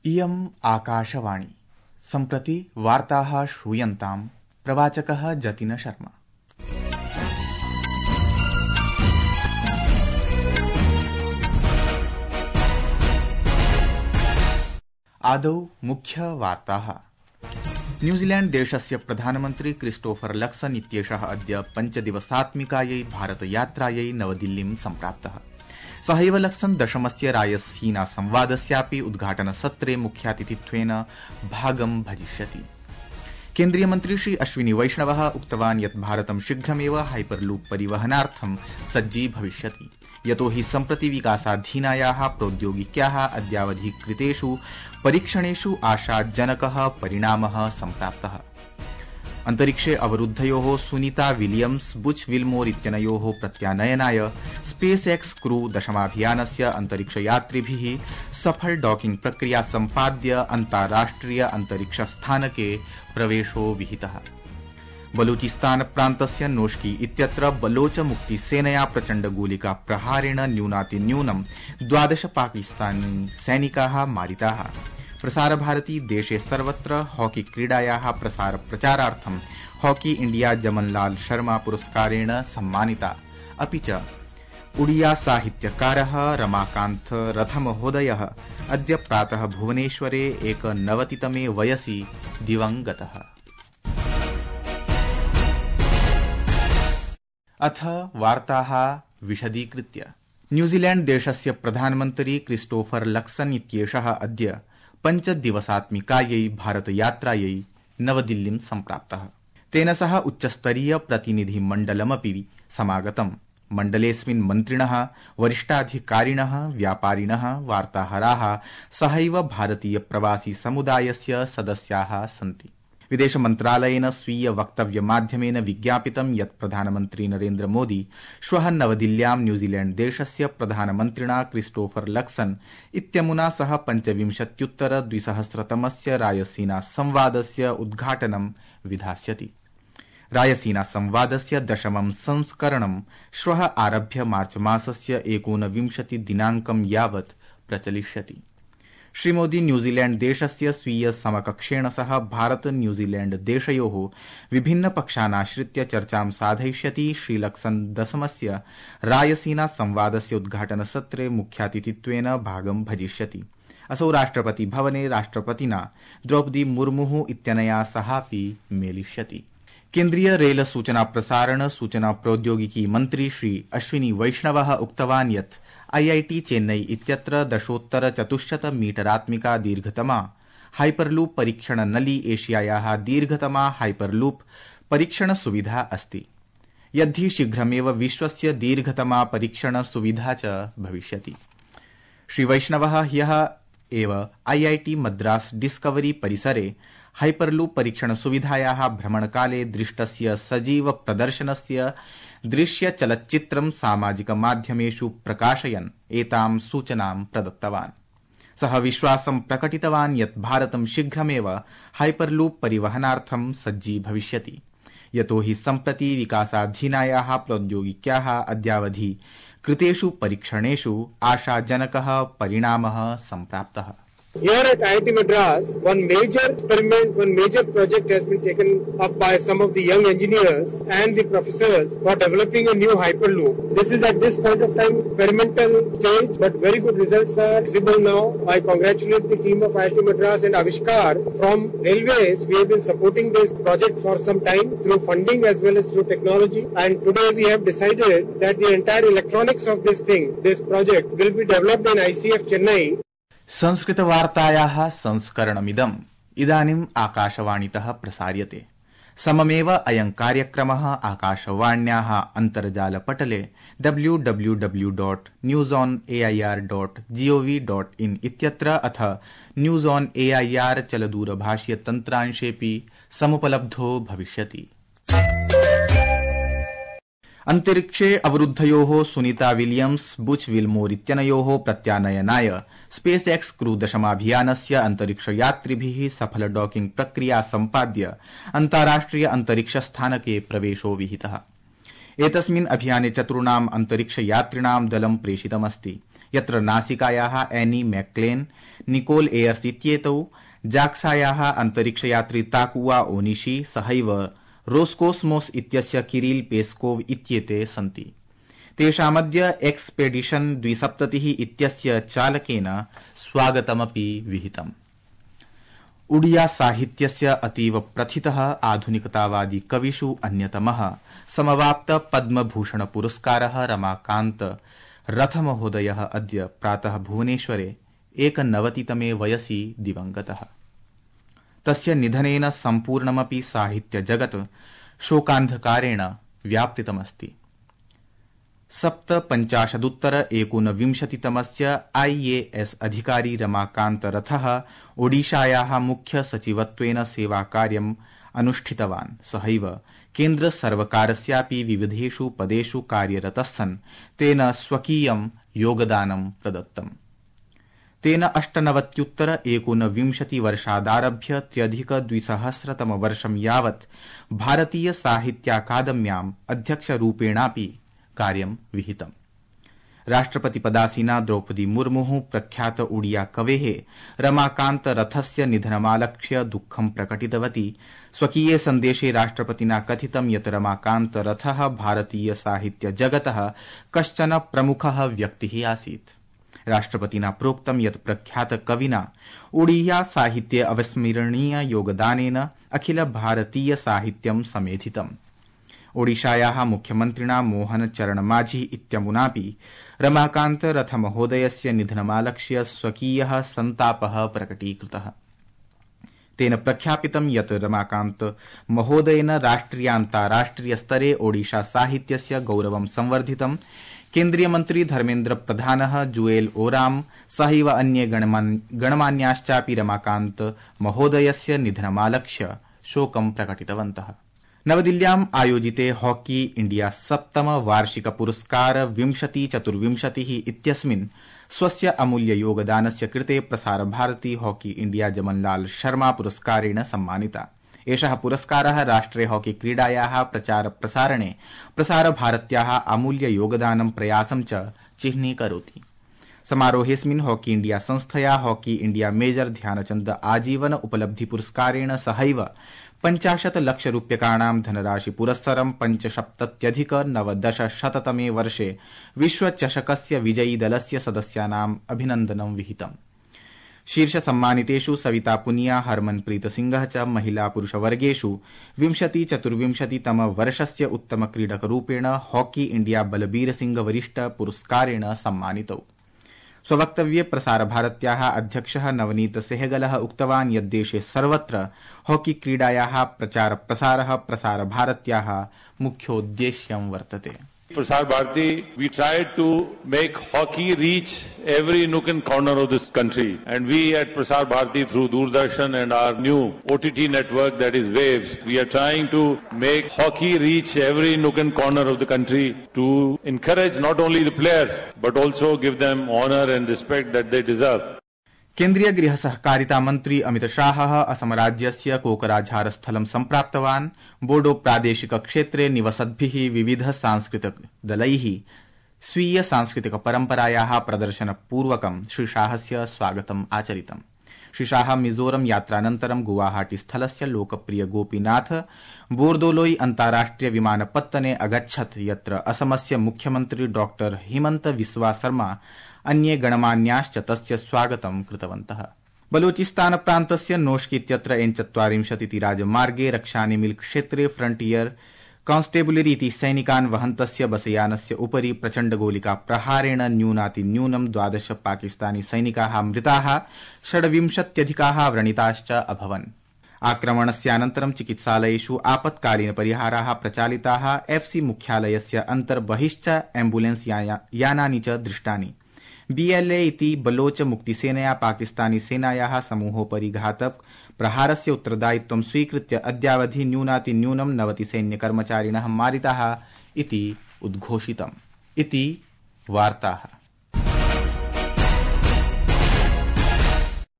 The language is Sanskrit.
इयम् आकाशवाणी सम्प्रति वार्ताः श्रूयन्ताम् प्रवाचकः जतिन शर्मा। आदौ मुख्यवार्ताः। न्यूजीलैण्ड देशस्य प्रधानमन्त्री क्रिस्टोफर लक्सन इत्येषः अद्य 5 दिवसात्मिकायै भारतयात्रायै नवदिल्लीं सम्प्राप्तः। सहैव लक्सन दशमस्य रायसीना संवादस्यापि उद्घाटनसत्रे मुख्यातिथित्वेन भागं भजिष्यति। केन्द्रीय मन्त्री श्री अश्विनी वैष्णवः उक्तवान् यत् भारतं शीघ्रमेव हाइपरलूप परिवहनार्थं सज्जी भविष्यति, यतो हि सम्प्रति विकासाधीनायाः प्रौद्योगिक्याः अद्यावधि कृतेषु परीक्षणेषु आशाजनकः परिणामः सम्प्राप्तः। अन्तरिक्षे अवरुद्धयोः सुनीता विलियम्स बुच विल्मोर इत्यनयोः प्रत्यानयनाय स्पेस एक्स क्रू दशमाभियानस्य अन्तरिक्षयात्रिभिः सफल डॉकिंग प्रक्रिया सम्पाद्य अन्ताराष्ट्रिय अन्तरिक्षस्थानके प्रवेशो विहितः। बलूचिस्तान प्रान्तस्य नोश्की इत्यत्र बलोच मुक्तिसेनया प्रचण्ड गोलिका प्रहारेण न्यूनातिन्यूनं 12 पाकिस्तानी सैनिकाः मारिताः। प्रसारभारती देशे सर्वत्र हॉकी क्रीडायाः प्रसार प्रचारार्थं हॉकी इंडिया जमनलाल शर्मा पुरस्कारेण सम्मानिता। अपि च उड़िया साहित्यकारः रमाकान्त रथमहोदयः अद्य प्रातः भुवनेश्वरे 91तमे वयसि दिवङ्गतः। अथ वार्ताः विशदीकृत्य। न्यूजीलैण्ड देशस्य प्रधानमन्त्री क्रिस्टोफर लक्सन इत्येषः अद्य 5 दिवसात्मिकायै भारतयात्रायै नवदिल्लीं सम्प्राप्तः। तेन सह उच्चस्तरीय प्रतिनिधिमण्डलमपि समागतम्। मण्डलेऽस्मिन् मन्त्रिणः, वरिष्ठाधिकारिणः, व्यापारिणः, वार्ताहराः सहैव भारतीय प्रवासी समुदायस्य सदस्याः सन्ति। विदेश मन्त्रालयेन स्वीय वक्तव्यमाध्यमेन विज्ञापितं यत् प्रधानमन्त्री नरेन्द्र मोदी श्वः नवदिल्ल्यां न्यूजीलैण्ड देशस्य प्रधानमन्त्रिणा क्रिस्टोफर लक्सन इत्यमुना सह 25-2000तमस्य रायसीना संवादस्य उद्घाटनं विधास्यति। रायसीना संवादस्य दशमं संस्करणं श्वः आरभ्य मार्च मासस्य 29 दिनाङ्कं यावत् प्रचलिष्यति। श्रीमोदी न्यूजीलैण्ड देशस्य स्वीय समकक्षेण सह भारत न्यूजीलैण्ड देशयोः विभिन्न पक्षानाश्रित्य चर्चां साधयिष्यति। श्रीलक्सन दशमस्य रायसीना संवादस्य उद्घाटनसत्रे मुख्यातिथित्वेन भागं भजिष्यति। असौ राष्ट्रपति भवने राष्ट्रपतिना द्रौपदी मुर्मुः इत्यनया सहापि मेलिष्यति। केन्द्रीय रेल सूचना प्रसारण सूचना प्रौद्योगिकी मन्त्री श्री अश्विनी वैष्णवः उक्तवान् यत् IIT चेन्नई इत्यत्र 10,400 मीटरात्मिका दीर्घतमा हाइपरलूप परीक्षण नली एशियायाः दीर्घतमा हाइपरलूप परीक्षण सुविधा अस्ति, यद्धि शीघ्रमेव विश्वस्य दीर्घतमा परीक्षण सुविधा च भविष्यति। श्री वैष्णवः ह्यः एव IIT मद्रास डिस्कवरी परिसरे हाइपरलूप परीक्षण सुविधायाः भ्रमणकाले दृष्टस्य सजीव प्रदर्शनस्य दृश्य चलच्चित्रं सामाजिक माध्यमेषु प्रकाशयन् एतां सूचनां प्रदत्तवान्। सः विश्वासं प्रकटितवान् यत् भारतं शीघ्रमेव हाइपरलूप परिवहनार्थं सज्जी भविष्यति, यतो हि सम्प्रति विकासाधीनायाः प्रौद्योगिक्याः अद्यावधि कृतेषु परीक्षणेषु आशाजनकः परिणामः सम्प्राप्तः। Here at IIT Madras, one major experiment, one major project has been taken up by some of the young engineers and the professors for developing a new hyperloop. This is at this point of time experimental stage, but very good results are visible now. I congratulate the team of IIT Madras and Avishkar from Railways. We have been supporting this project for some time through funding as well as through technology. And today we have decided that the entire electronics of this thing, this project, will be developed in ICF Chennai. संस्कृतवार्तायाः संस्करणमिदम् इदानीम् आकाशवाणीतः प्रसार्यते। सममेव अयं कार्यक्रमः आकाशवाण्याः अन्तर्जालपटले www.newsonair.gov.in इत्यत्र अथ न्यूज ऑन AIR चलदूरभाषीय तन्त्रांशेऽपि समुपलब्धो भविष्यति। अन्तरिक्षे अवरुद्धयोः सुनीता विलियम्स बुच विल्मोर इत्यनयोः प्रत्यानयनाय स्पेस एक्स क्रू दशमाभियानस्य अन्तरिक्षयात्रिभिः सफल डॉकिंग प्रक्रिया सम्पाद्य अन्ताराष्ट्रिय अन्तरिक्षस्थानके प्रवेशो विहितः। एतस्मिन् अभियाने चतुर्णाम् अन्तरिक्षयात्रिणां दलं प्रेषितमस्ति। यत्र नासिकायाः एनी मैक्लेन निकोल एयर्स इत्येतौ जाक्सायाः अन्तरिक्षयात्री ताकुआ ओनिशी सहैव रोस्कोस्मोस इत्यस्य किरिल पेस्कोव इत्येते सन्ति। तेषामद्य एक्सपेडिशन 270 इत्यस्य चालकेन स्वागतमपि विहितम्। उडिया साहित्यस्य अतीव प्रथितः आधुनिकतावादी कविषु अन्यतमः समवाप्त पद्मभूषण पुरस्कारः रमाकान्त रथमहोदयः अद्य प्रातः भुवनेश्वरे 91तमे वयसि दिवंगतः। तस्य निधनेन सम्पूर्णमपि साहित्यजगत् शोकान्धकारेण व्यापृतमस्ति। 57 IAS अधिकारी रमाकान्त रथः ओडिशायाः मुख्य सचिवत्वेन सेवाकार्यम् अनुष्ठितवान्। सहैव केन्द्र सर्वकारस्यापि विविधेषु पदेषु कार्यरतः तेन स्वकीयं योगदानं प्रदत्तम्। तेन 98 वर्षादारभ्य 2000 वर्षं यावत् भारतीय साहित्याकादम्याम् अध्यक्षरूपेणापि कार्यं विहितम्। राष्ट्रपतिपदासीना द्रौपदी मुर्मुः प्रख्यात उडिया कवेः रमाकान्त रथस्य निधनमालक्ष्य दुःखं प्रकटितवती। स्वकीये सन्देशे राष्ट्रपतिना कथितं यत् रमाकान्त रथः भारतीय साहित्य जगतः कश्चन प्रमुखः व्यक्तिः आसीत्। राष्ट्रपतिना प्रोक्तं यत् प्रख्यात कविना उडिया साहित्ये अविस्मरणीय योगदानेन अखिल भारतीय साहित्यं समेधितम्। ओडिशायाः मुख्यमन्त्रिणा मोहन चरण माझी इत्यमुनापि रमाकान्त रथ महोदयस्य निधनमालक्ष्य स्वकीयः सन्तापः प्रकटीकृतः। तेन प्रख्यापितं यत् रमाकान्त महोदयेन राष्ट्रियान्ताराष्ट्रिय स्तरे ओडिशा साहित्यस्य गौरवं संवर्धितम्। केन्द्रीय मन्त्री धर्मेन्द्र प्रधानः जुएल ओराम सहैव अन्ये गणमान्याश्चापि रमाकान्त महोदयस्य निधनमालक्ष्य शोकं प्रकटितवन्तः। नवदिल्ल्याम् आयोजिते हॉकी इंडिया 7तम वार्षिक पुरस्कार 2024 इत्यस्मिन् स्वस्य अमूल्य योगदानस्य कृते प्रसार भारती हॉकी इंडिया जमनलाल शर्मा पुरस्कारेण सम्मानिता। एषः पुरस्कारः राष्ट्रे हॉकी क्रीडायाः प्रचार प्रसारणे प्रसार भारत्याः अमूल्य योगदानं प्रयासं च चिह्नीकरोति। समारोहेऽस्मिन् हॉकी इंडिया संस्थया हॉकी इंडिया मेजर ध्यानचन्द आजीवन उपलब्धि पुरस्कारेण सहैव 50 लाख रूप्यकाणां धनराशि पुरस्सरं 75,990 वर्षे विश्वचषकस्य विजयी दलस्य सदस्यानाम् अभिनन्दनं विहितम्। शीर्ष सम्मानितेषु सविता पुनिया हरमनप्रीत सिंहः च महिला पुरुष वर्गेषु 2024 वर्षस्य उत्तम क्रीडकरूपेण हॉकी इंडिया बलबीर सिंह वरिष्ठ पुरस्कारेण सम्मानितौ। स्ववक्तव्ये प्रसार भारत्याः अध्यक्षः नवनीत सेहगलः उक्तवान् यत् देशे सर्वत्र हॉकी क्रीडायाः प्रचार प्रसारः प्रसार भारत्याः मुख्योद्देश्यं वर्तते। Prasar Bharati, we tried to make hockey reach every nook and corner of this country. And we at Prasar Bharati, through Doordarshan and our new OTT network, that is Waves, we are trying to make hockey reach every nook and corner of the country to encourage not only the players, but also give them honor and respect that they deserve. केन्द्रीय गृह सहकारिता मन्त्री अमित शाहः असम राज्यस्य कोकराझार स्थलं सम्प्राप्तवान्। बोडो प्रादेशिक क्षेत्रे निवसद्भिः विविध सांस्कृतिक दलैः स्वीय सांस्कृतिक परम्परायाः प्रदर्शनपूर्वकं श्री शाहस्य स्वागतम् आचरितम्। श्री शाह मिजोरम यात्रानन्तरं गुवाहाटी स्थलस्य लोकप्रिय गोपीनाथ बोर्दोलोई अन्ताराष्ट्रिय विमानपत्तने अगच्छत्, यत्र असमस्य मुख्यमन्त्री डॉक्टर हिमन्त बिस्वा शर्मा अन्ये गणमान्याश्च तस्य स्वागतं कृतवन्तः। बलूचिस्तान प्रान्तस्य नोश्क इत्यत्र N40 इति राजमार्गे रक्षानिमिल क्षेत्रे फ्रंटियर कांस्टेबुलरी इति सैनिकान् वहन्तस्य बसयानस्य उपरि प्रचण्डगोलिका प्रहारेण न्यूनातिन्यूनं 12 पाकिस्तानी सैनिकाः मृताः, 26 व्रणिताश्च अभवन्। आक्रमणस्यानन्तरं चिकित्सालयेषु आपत्कालीन परिहाराः प्रचालिताः। FC मुख्यालयस्य अन्तर्बहिश्च एम्बुलेन्स यानानि च दृष्टानि। BLA इति बलोच मुक्तिसेनया पाकिस्तानी सेनायाः समूहोपरि घातक प्रहारस्य उत्तरदायित्वं स्वीकृत्य अद्यावधि न्यूनातिन्यूनं 90 सैन्यकर्मचारिणः मारिताः इति उद्घोषितम्। इति वार्ताः।